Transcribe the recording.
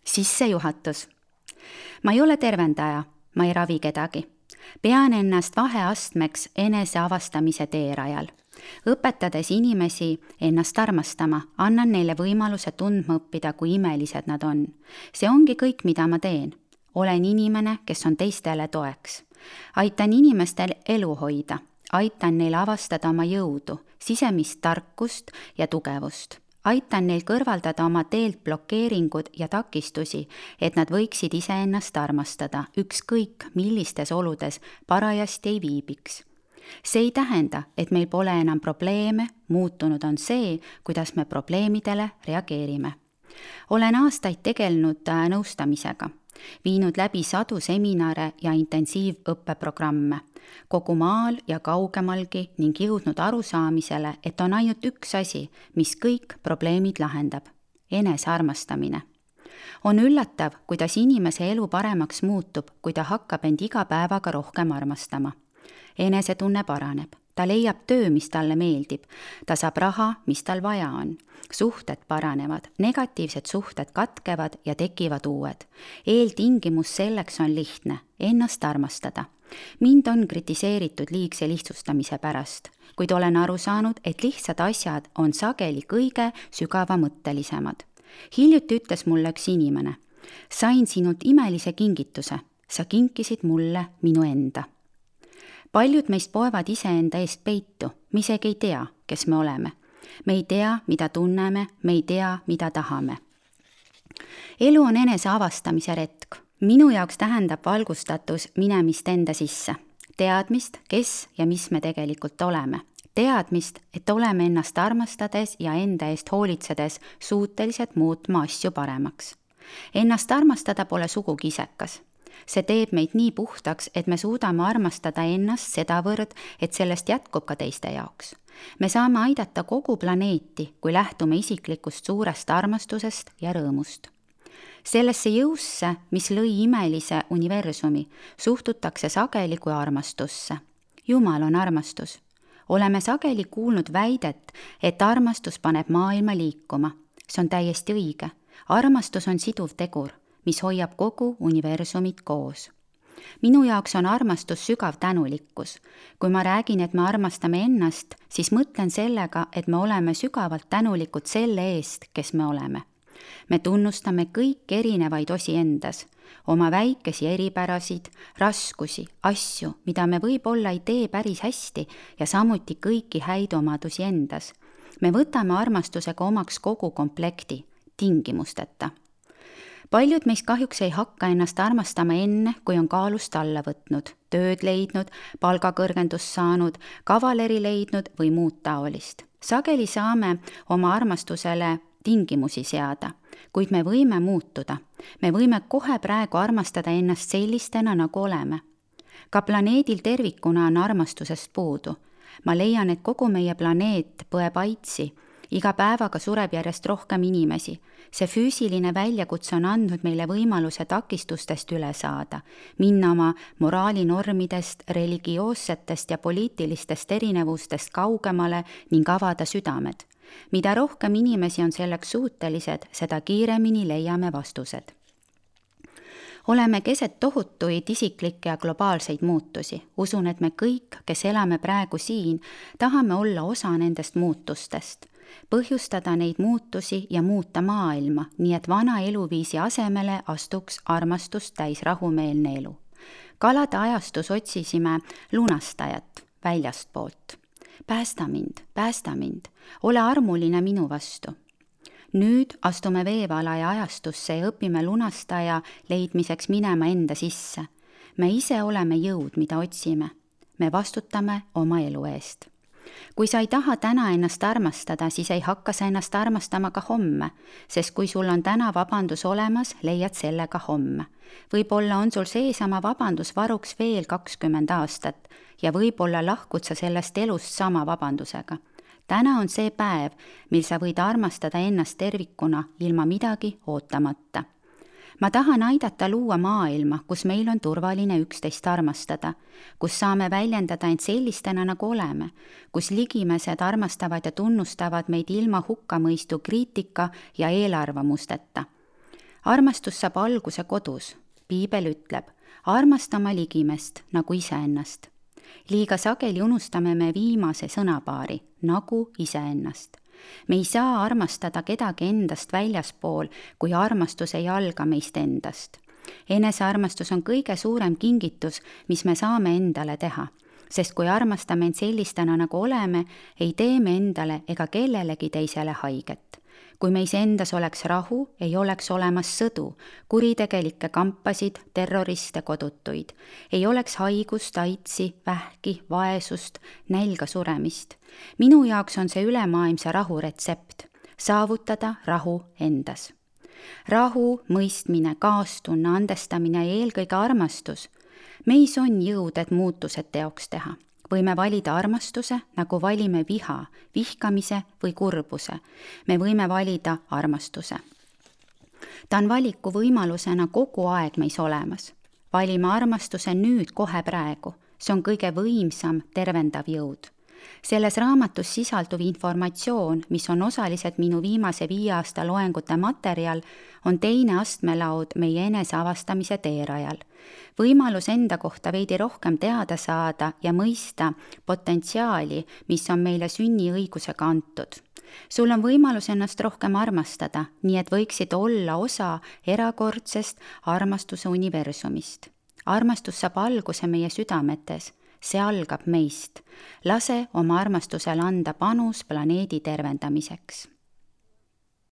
Sissejuhatus. Ma ei ole tervendaja, ma ei ravi kedagi. Pean ennast vaheastmeks enese avastamise teerajal. Õpetades inimesi ennast armastama, annan neile võimaluse tundma õppida, kui imelised nad on. See ongi kõik, mida ma teen. Olen inimene, kes on teistele toeks. Aitan inimestel elu hoida. Aitan neil avastada oma jõudu, sisemist tarkust ja tugevust. Aitan neil kõrvaldada oma teelt blokeeringud ja takistusi, et nad võiksid iseennast armastada, ükskõik millistes oludes parajasti ei viibiks. See ei tähenda, et meil pole enam probleeme, muutunud on see, kuidas me probleemidele reageerime. Olen aastaid tegelenud nõustamisega, viinud läbi sadu seminare ja intensiivõppeprogramme, kogu maal ja kaugemalgi ning jõudnud arusaamisele, et on ainult üks asi, mis kõik probleemid lahendab: enesearmastamine. On üllatav, kuidas inimese elu paremaks muutub, kui ta hakkab end iga päevaga rohkem armastama. Enesetunne paraneb, ta leiab töö, mis talle meeldib, ta saab raha, mis tal vaja on. Suhted paranevad, negatiivsed suhted katkevad ja tekivad uued. Eeltingimus selleks on lihtne, ennast armastada. Mind on kritiseeritud liigse lihtsustamise pärast, kuid olen aru saanud, et lihtsad asjad on sageli kõige sügavamõttelisemad. Hiljuti ütles mulle üks inimene: sain sinult imelise kingituse, sa kinkisid mulle minu enda. Paljud meist poevad iseenda eest peitu, me isegi ei tea, kes me oleme. Me ei tea, mida tunneme, me ei tea, mida tahame. Elu on enese avastamise retk. Minu jaoks tähendab valgustatus minemist enda sisse. Teadmist, kes ja mis me tegelikult oleme. Teadmist, et oleme ennast armastades ja enda eest hoolitsedes suutelised muutma asju paremaks. Ennast armastada pole sugugi isekas. See teeb meid nii puhtaks, et me suudame armastada ennast sedavõrd, et sellest jätkub ka teiste jaoks. Me saame aidata kogu planeeti, kui lähtume isiklikust suurest armastusest ja rõõmust. Sellesse jõusse, mis lõi imelise universumi, suhtutakse sageli kui armastusse. Jumal on armastus. Oleme sageli kuulnud väidet, et armastus paneb maailma liikuma. See on täiesti õige. Armastus on siduv tegur, mis hoiab kogu universumit koos. Minu jaoks on armastus sügav tänulikkus. Kui ma räägin, et me armastame ennast, siis mõtlen sellega, et me oleme sügavalt tänulikud selle eest, kes me oleme. Me tunnustame kõik erinevaid osi endas, oma väikesi eripärasid, raskusi, asju, mida me võib-olla ei tee päris hästi ja samuti kõiki häid omadusi endas. Me võtame armastusega omaks kogu komplekti, tingimusteta. Paljud meist kahjuks ei hakka ennast armastama enne, kui on kaalust alla võtnud, tööd leidnud, palgakõrgendust saanud, kavaleri leidnud või muud taolist. Sageli saame oma armastusele tingimusi seada, kuid me võime muutuda. Me võime kohe praegu armastada ennast sellistena, nagu oleme. Ka planeedil tervikuna on armastusest puudu. Ma leian, et kogu meie planeet põeb aitsi. Iga päevaga sureb järjest rohkem inimesi. See füüsiline väljakutse on andnud meile võimaluse takistustest üle saada, minna oma moraalinormidest, religioossetest ja poliitilistest erinevustest kaugemale ning avada südamed. Mida rohkem inimesi on selleks suutelised, seda kiiremini leiame vastused. Oleme keset tohutuid isiklikke ja globaalseid muutusi. Usun, et me kõik, kes elame praegu siin, tahame olla osa nendest muutustest. Põhjustada neid muutusi ja muuta maailma, nii et vana eluviisi asemele astuks armastust täis rahumeelne elu. Kalade ajastus otsisime lunastajat väljastpoolt. Päästa mind, ole armuline minu vastu. Nüüd astume veevalaja ajastusse ja õpime lunastaja leidmiseks minema enda sisse. Me ise oleme jõud, mida otsime. Me vastutame oma elu eest. Kui sa ei taha täna ennast armastada, siis ei hakka sa ennast armastama ka homme, sest kui sul on täna vabandus olemas, leiad selle ka homme. Võib-olla on sul seesama vabandus varuks veel 20 aastat ja võib-olla lahkud sa sellest elust sama vabandusega. Täna on see päev, mil sa võid armastada ennast tervikuna ilma midagi ootamata. Ma tahan aidata luua maailma, kus meil on turvaline üksteist armastada, kus saame väljendada end sellistena, nagu oleme, kus ligimesed armastavad ja tunnustavad meid ilma hukkamõistu kriitika ja eelarvamusteta. armastus saab alguse kodus. Piibel ütleb, armasta oma ligimest nagu iseennast. Liiga sageli unustame me viimase sõnapaari, nagu iseennast. Me ei saa armastada kedagi endast väljaspool, kui armastus ei alga meist endast. Enesearmastus on kõige suurem kingitus, mis me saame endale teha, sest kui armastame end sellistena, nagu oleme, ei tee me endale ega kellelegi teisele haiget. Kui meis endas oleks rahu, ei oleks olemas sõdu, kuritegelikke kampasid, terroriste, kodutuid. Ei oleks haigust, aitsi, vähki, vaesust, nälga suremist. Minu jaoks on see ülemaailmse rahu retsept. Saavutada rahu endas. Rahu, mõistmine, kaastunne, andestamine ja eelkõige armastus. Meis on jõud, et muutused teoks teha. Võime valida armastuse, nagu valime viha, vihkamise või kurbuse. Me võime valida armastuse. Ta on valiku võimalusena kogu aeg meis olemas. Valime armastuse nüüd kohe praegu. See on kõige võimsam tervendav jõud. Selles raamatus sisalduv informatsioon, mis on osaliselt minu viimase 5 aasta loengute materjal, on teine astmelaud meie eneseavastamise teerajal. Võimalus enda kohta veidi rohkem teada saada ja mõista potentsiaali, mis on meile sünniõigusega antud. Sul on võimalus ennast rohkem armastada, nii et võiksid olla osa erakordsest armastuse universumist. Armastus saab alguse meie südametes. See algab meist. Lase oma armastusel anda panus planeedi tervendamiseks.